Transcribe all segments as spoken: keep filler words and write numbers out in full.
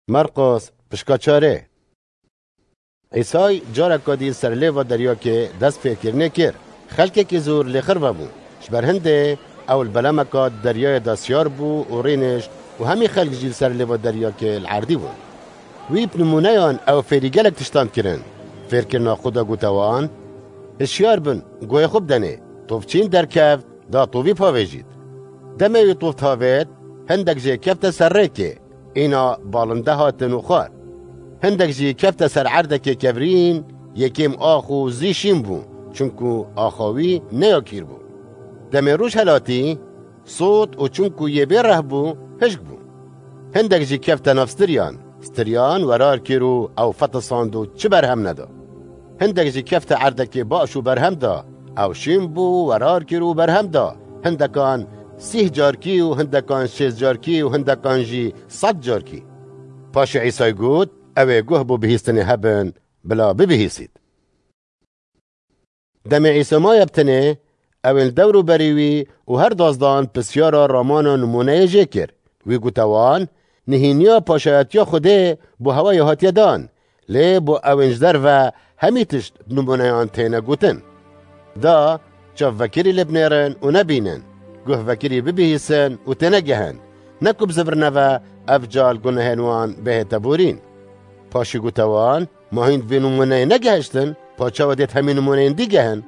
Merqos, pişka çarê. Îsay careka dî ser lêva deryakê dest fêrkirinê kir. Xelkekî zor lê xirve bû. Ji ber hindê ew li belemeka deryayê de siyar bû û rînişt û hemî xelk jî li ser lêva deryakê li erdî bûn. Wî bi nimûneyan ew fêrî gelek tiştan kirin. Fêrkirina xwe de gote wan, Hişyar bin, guhê xwe bidenê. Tovçîn derkeft, da tovî pavêjît. Demê wî tov tavêt, hindek jê kefte ser rêkê. Îna balinde hatin û xwar. Hindek jî kefte ser erdekê kevirîn, yekêm ax û zî şîn bû, çunku axa wî neyakîr bû. Demê roj helatî, sot û çunku yê bê reh bû, hişk bû. Hindek jî kefte nav stiriyan. Stiriyan werar kir û ew fetisand û çi berhem neda. Hindek jî kefte erdekê baş û berhem da. Ew şîn bû, werar kir û berhem da. Hindekan sîh carkî û hindekan şêst carkî û hindekan jî sed carkî. Paşê Îsay got, Ew ê guh bo bihîstinê hebin, bila bibihîsît. Demê Îsa maye bi tenê, ew ên li dewr û berî wî û her dazdan pisyara ramana nimûneyê jê kir. Wî gote wan, Nihîniya paşayetiya Xwedê bo hewayê hatiye dan, lê bo ew ên ji derve hemî tişt bi nimûneyan têne gotin. Da, çav vekirî lê binêrin û nebînin, guh vekirî bibihîsin û tênegehin, ne ku bizivirine ve ev ca li gunehên wan bihête borîn. Paşî gote wan, Ma hîn vê nimûneyê negehiştin, pa çawa dêt hemî nimûneyên dî gehin?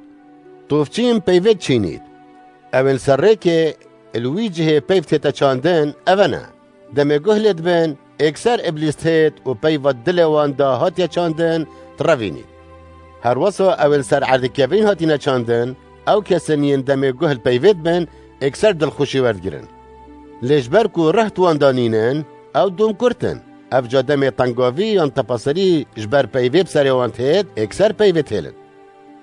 Tovçîn peyvêt çînît. Ew ên ser rêkê li wî cihê peyv tête çandin, ev e ne. Demê guh lê dibin, êkser Îblîs têt û peyva dilê wan de hatiye çandin, tirevînît. Herwesa ew ên ser erdê kevirîn hatîne çandin, ew kesên yên demê guh li peyvê dibin, êkser dilxweşî werdigirin. Lê ji ber ku reh di wan de nînin, ew dûm kurt in. Ev ca demê tengavî yan tepaserî ji ber peyvê bi serê wan têt, êkser peyvê têlin.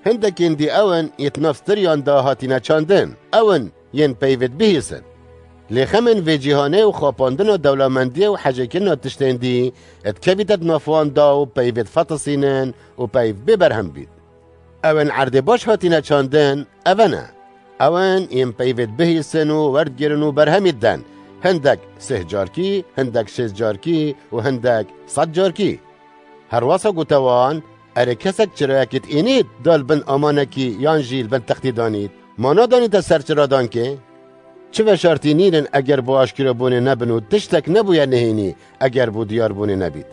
Hindekên dî ew in, yê di nav stiriyan de hatîne çandin. Ew in, yên peyvê dibihîsin. Lê xemên vê cîhanê û xapandina dewlemendiyê û hecêkirina tiştên dî, dikevîte di nav wan de û peyvê difetisînin û peyv bê berhem bît. Ew ên erdê baş hatîne çandin, ev e ne. Ew ên yên peyvê dibihîsin û werdigirin û berhemî diden. Hindek sih carkî, hindek şêst carkî û hindek sed carkî. Herwasa gote wan, Erê kesek çirayekî diînît, da li bin amanekî yan jî li bin textî danît, ma nadanîte ser çiradankê? Çi veşartî nînin eger bo aşkirabûnê nebin û tiştek nebûye nihênî eger bo diyarbûnê nebît.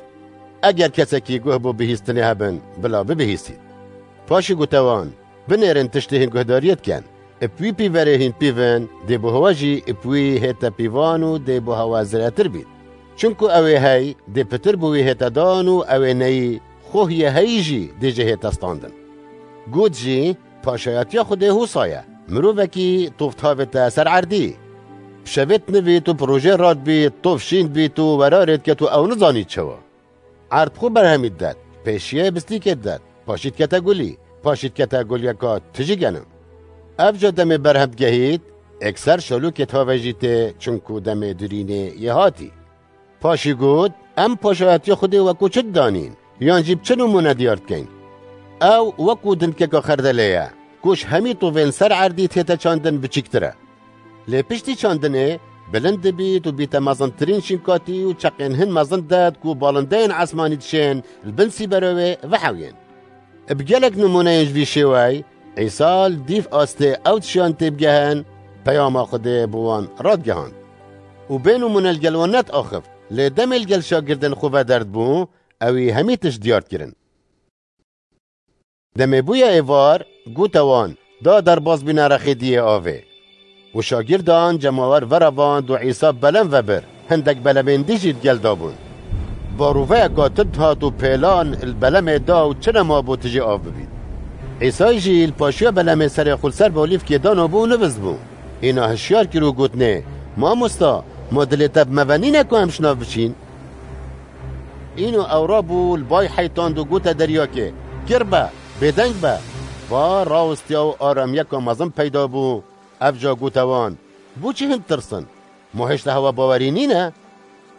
Eger kesekî guh bo bihîstinê hebin, bila bibihîsît. Paşî gote wan, Binêrin tiştê hîn guhdariyê dikin. Bi wî pîverê hîn pîvin, dê bo hewa jî bi wî hête pîvan û dê bo hewa ziretir bît. Çunku ew ê hey, dê pitir bo wî hête dan û ew ê neyî, xwe hîye heyî jî dê jê hête standin. Got jî, Paşayetiya Xwedê hosa ye. Mirovekî tov tavête ser erdî. Bi şevê dinivît û bi rojê radibît, tov şîn dibît û werarê diket û ew nizanît çawa. Erd xwe berhemî didet, pêşiyê bistîkê didet, paşî dikete gulî, paşî dikete guliyeka tijî genim. Ev ca demê berhem digehît, êkser şalûkê tavejî tê, çunku demê dirînê yê hatî. Paşî got, Em paşayetiya Xwedê wekû çi didanîn? Yan jî bi çi nimûne diyar dikeyn? Ew wekû dindikeka xerdelê ye, ku ji hemî tovên ser erdî tête çandin biçîktir e. Lê piştî çandinê bilind dibît û bîte mezintirîn şînkatî û çeqên hin mezin didet ku balindeyên esmanî dişên li bin sîbera wê vehewiyên. Bi gelek nimûneyên ji vî şêwey, Îsa li dîv astê ew tişiyan tê bigehin, peyama Xwedê bi wan radigehand. Û bê nimûne li gel wan nediaxift, lê demê li gel şagirdên xwe ve derdibû, ewî hemî tişt diyar dikirin. Demê bûye êvar, gote wan, Da derbas bîne rexê diyê avê. Û şagirdan cemawer veravand û Îsa belem vebir, hindek belemên dî jî digel dabûn. Barûveyeka tund hat û pêlan li belemê da û çi nema bû tijî av bibît. Îsay jî li paşiya belemê serê xwe li ser balîfkê danabû û nivist bû. Îna hişyar kir û gotinê, Mamosta, ma dilê te bi me ve nîne ku em ji nav biçîn? Îno ew rabû li bay heytand û gote deryakê, Kir be, bêdeng be! Va rawistiya û aramiyeka mezin peyda bû. Ev ca gote wan, Bo çi hin ditirsin? Ma hêşta hewa bawerî nîne?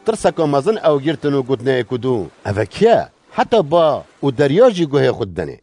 Tirseka mezin ew girtin û gotinê yek û du, Ev e kî ye? Heta ba û derya jî guhê xwe didenê.